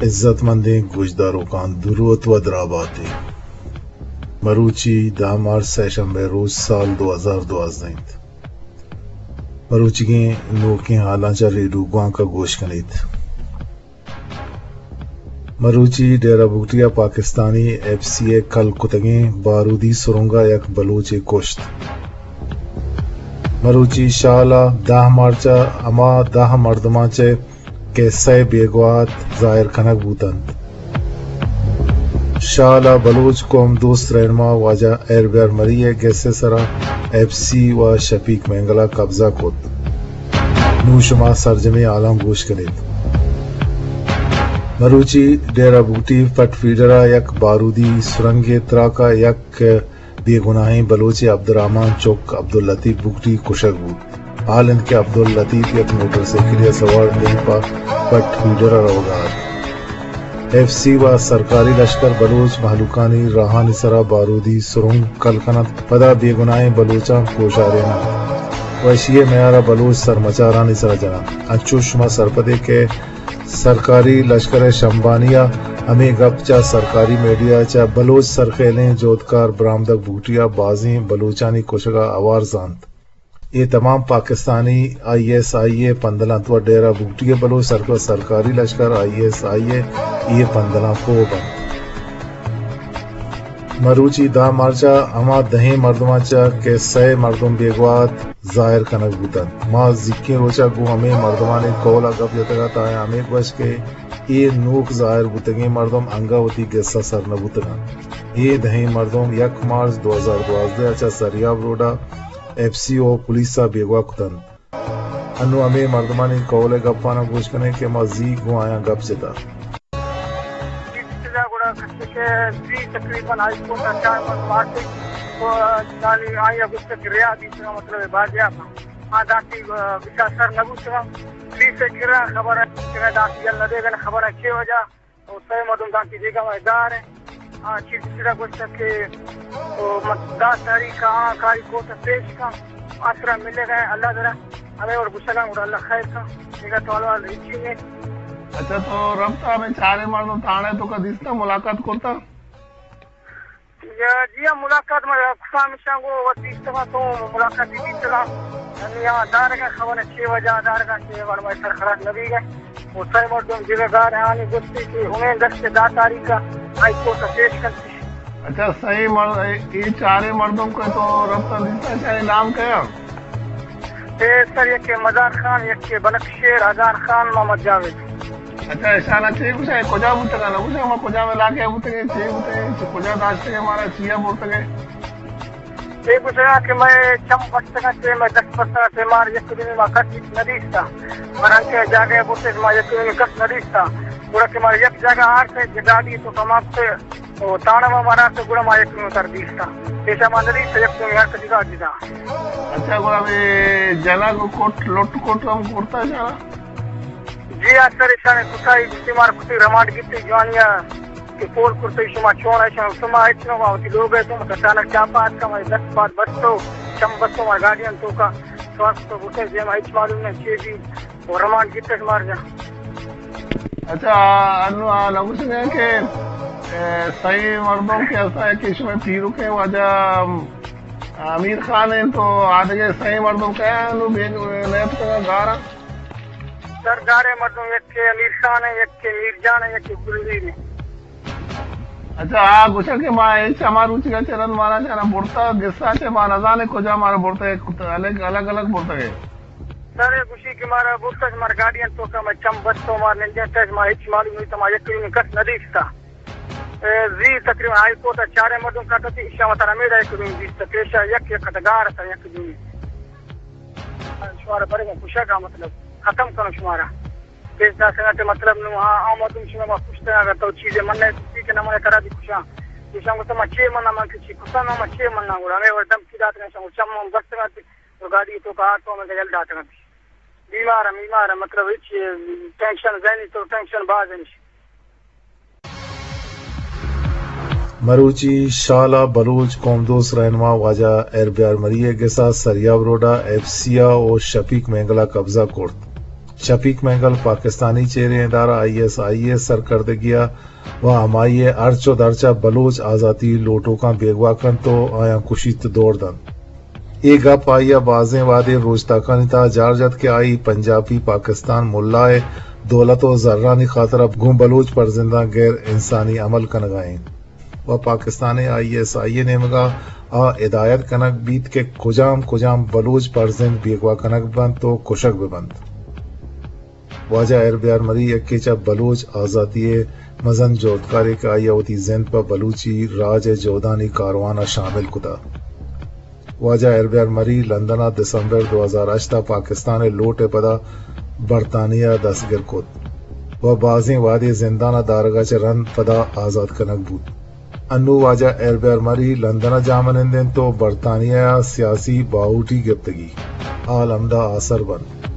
عزت مندیں گوشداروکاں، دروت و دراباتے۔ مروچی دہ مارچ، سہ شنبے روچ، سال دو ہزار دوازدہ انت۔ مروچیگیں نوکیں حالاں چہ ریڈیو گوانک ءَ گوش کنیت۔ مروچی ڈیرہ بگٹی ءَ پاکستانی ایف سی ءِ کل کتگیں بارودی سرنگ ءَ یک بلوچے کشت۔ مروچی شال ءَ دہ مارچ ءَ ہما دہ مردماں چہ کہ سئے بیگواہ ات، ظاہر کنگ بوت انت۔ شال ءَ بلوچ قوم دوست رہنما واجہ ہیر بیار مری ءِ گس ءِ سرا ایف سی و شفیق مینگل ءَ قبضہ کت۔ نوں شما سرجمیں حالاں گوش کنیت۔ مروچی ڈیرہ بگٹی پٹ فیڈر ءَ یک بارودی سرنگے تراک ءَ یک بے گناہیں بلوچے عبدالرحمن چک عبداللطیف بگٹی کشگ بوت۔ حال انت کہ عبداللطیف یک موٹر سائیکلے ءَ سوار ڈیمپ ءَ پٹ فیڈر ءَ روگ ءَ ات۔ ایف سی و سرکاری لشکر بلوچ مہلوکانی راہانی سرا بارودی سرنگ کل کن انت، پدا بے گناہیں بلوچاں کوشارین انت و اشی ءِ میار ءَ بلوچ سرمچارانی سرا جن انت۔ انچوش شما سرپدے کہ سرکاری لشکر ءِ شمبانی ءَ ہمے گپ چہ سرکاری میڈیا ءَ چہ بلوچ سرخیلیں جہدکار برآمدگ بگٹی ءَ بازیں بلوچانی کشگ ءَ ہوار زانت۔ اے تمام پاکستانی آئی ایس آئی ءِ پندل انت و ڈیرہ بگٹی ءِ بلوچ سرکار، سرکاری لشکر، آئی ایس آئی ءِ اے پندلاں پوہ بنت۔ مروچی دہ مارچ ءَ ہما دہیں مردماں چہ کہ سئے مردم بیگواہ ات، ظاہر کنگ بوت انت۔ ما زیکیں روچ ءَ گوں ہمے مردمانی قول ءَ گپ جتگ ات، آیاں ہمے گوشت کہ اے نوک ظاہر بوتگیں مردم انگہ وتی گس ءَ سر نہ بوتگ انت۔ اے دہیں مردم یک مارچ دو ہزار دوازدہ ءَ چہ سریاب روڈ ءَ ایف سی او پولیس ءَ بیگواہ کت انت۔ انوں ہمے مردمانی قول ءِ گپاناں گوش کنیں کہ ما زی گوں آیاں گپ جتا۔ چیز چیزا گڑا کسی کہ زی تقریباً ہائی کورٹ ءَ چار مردم آتے، تو دانی آئی ءَ گوشت کہ رہا بیت، مطلب بازیاب آ دانتی بچار سر نہ بوتگاں۔ پولیس ءِ کرا خبر ءَ کہ دانتی یل نہ دیگن خبر ءَ چے وجہ، او سئے مردم دانتی دیگا ما گار ہیں۔ آ چیز چیزا گوشت کہ او مت-، دہ تاریخ ءَ آ کاری کورٹ ءَ پیش کن، آسرا ملے گئے اللہ درا، ہمیں اور گشگاں اور اللہ خیر کن، دیگا تو حال ہچی نہیں۔ اچھا، تو ربط ہمیں چارے مردم تھانے تو کا دیستا ملاقات کرتا؟ یا جی ہاں، ملاقات ما کسان مشان گو وتی استغا تو ملاقات ہی بیتگا۔ ہمیں یہاں دارگا خبر چھ وجہ دارگا چھ وجہ میں سر خلاص نبی گئے۔ وہ سئے مردم جگہ دار ہیں، آنی گوشتی کہ ہمیں دست دہ تاریخ ءَ ہائی کورٹ ءَ پیش کرتی۔ اچھا، سئے مر-، اے، اے چارے مردم کو تو ربط دیتا، چاہے نام کیا؟ اے سر، یک مزار خان، یک بنک شیر، ہزار خان، محمد جاوید۔ اچھا، اشانا چے گوشا، کجا بوتگا، نہ گوشا، ما کجا علاقے بوتگے، چے بوتگے، چے کجا داشتگے، مارا چیا بوتگے؟ اے گوشگا کہ مئے چم بستگاں، چہ مئے دست بستگاں، چہ مار یک دومی ما کس ہچ نہ دیستا۔ مر انچیں جاگہ بوتش ما یک دومی کس نہ دیستا۔ گڑا کہ ما یک جاگہ آرتے، گاڑی تو کماپتے، او تانا ما مارا تو گڑا ما یک دومی تر دیستا۔ پیشا ما نہ دیستا، یک دومی ہر کسی کا جدا۔ اچھا، گڑا بے جنگ کٹ، لٹ کٹ ہم کرتا شانا؟ جی ہاں سر، اشانے کتا ہی گوشتی مار کتی رمانڈ گیتی جوانیا۔ کہ پول کرتے شما چون ہے، شما، شما ہچ نہ وتی لوگ ہے، تو مت اچانک چاپا اتکا، مئے دست پاد بستو، چم بستو، مئے گاڑیاں توکا سواس تو بوتے، جے ما ہچ معلوم نہیں چے بھی، اور رمانڈ گیتے مار جا۔ اچھا، انو آ نگوشگا کہ، اے، سئے مردم کہ ہستا ہے کہ شما پیرو کے واجہ امیر خان ہیں، تو آدگے سئے مردم کیا انو بے نیت کا گارا؟ سر، گارے مردم یک کہ امیر خان ہے، یک کہ میر جان ہے، یک کہ گلزیر ہے۔ اچھا، آ گوشا کہ ما ہچ ہما روچ گا چہ رند مارا چہ نہ برتا، گسا چہ ما نزانے کجا مارا برتا، یک الگ، الگ، الگ برتا گئے۔ سر، اے گوشی کہ مارا برتا، مارا گاڑیاں توکا ما چم بستو، مار نندے تش، ما ہچ معلوم نہیں، ما یک کس نہ دیستا۔ اے، زی تقریباً ہائی کورٹ ءَ چاریں مردم کٹتی، ایشاں وتارا میڑا یک دومی دیست، پیشا یک یک کٹگار تا یک دومی۔ شمارا برے گوں کشگ ءَ مطلب ختم کنو شمارا۔ پیش داشتگ ءَ مطلب نوں آ، آ مردم شما ما کشتگ، اگر تو چیزے من نہ کہ نہ من ترا بھی کشاں۔ ایشاں گوشت ما چے من، من کہ چی کشاں، ما چے من گڑا ہمیں وڑ دھمکی داتگ، ایشاں گوشت چم من بستگ ءَ، تو گاڑی تو کار تو ہمیں یل داتگ۔ بیمار ءَ، بیمار ءَ، مطلب ہچ ٹینشن، ذہنی تو ٹینشن باز انش۔ مروچی شال ءَ بلوچ قوم دوست رہنما واجہ ہیر بیار مری ءِ گس ءَ سریاب روڈ ءَ ایف سی ءَ او شفیق مینگل ءَ قبضہ کرت۔ شفیق مینگل پاکستانی چیریں ادارہ آئی ایس آئی ءِ سرکردگی ءَ و ہمائی ءِ ہرچ و درچ ءَ بلوچ آزاتی لوٹوکاں بیگواہ کنت و آیاں کشیت و دور دنت۔ اے گپ آئی ءَ بازیں وہدے روچتاکانی تہا جار جت کہ آئی پنجابی پاکستان ملا ءِ دولت و زرانی خاطر ءَ گوں بلوچ پرزنداں غیر انسانی عمل کنگ ءَ انت و پاکستان ءِ آئی ایس آئی ءِ نیمگ ءَ آ ہدایت کنگ بیت کہ کجام کجام بلوچ پرزند بیگواہ کنگ بنت و کشگ بہ بنت۔ واجہ ہیر بیار مری یکے چہ بلوچ آزاتی ءِ مزن جہدکارے کہ آئی ءَ وتی زند پہ بلوچی راج ءِ جہدانی کاروان ءَ شامل کتہ۔ واجہ ہیر بیار مری لندن ءَ دسمبر دو ہزار ہشت ءَ پاکستان ءِ لوٹ ءِ پدا برطانیہ ءَ دستگر کت و بازیں وہدے زندان ءَ دارگ ءَ چہ رند پدا آزات کنگ بوت۔ انوں واجہ ہیر بیار مری لندن ءَ جاہ منند انت و برطانیہ ءَ سیاسی باہوٹی گپتگی۔ حال ہمدا آسر بنت۔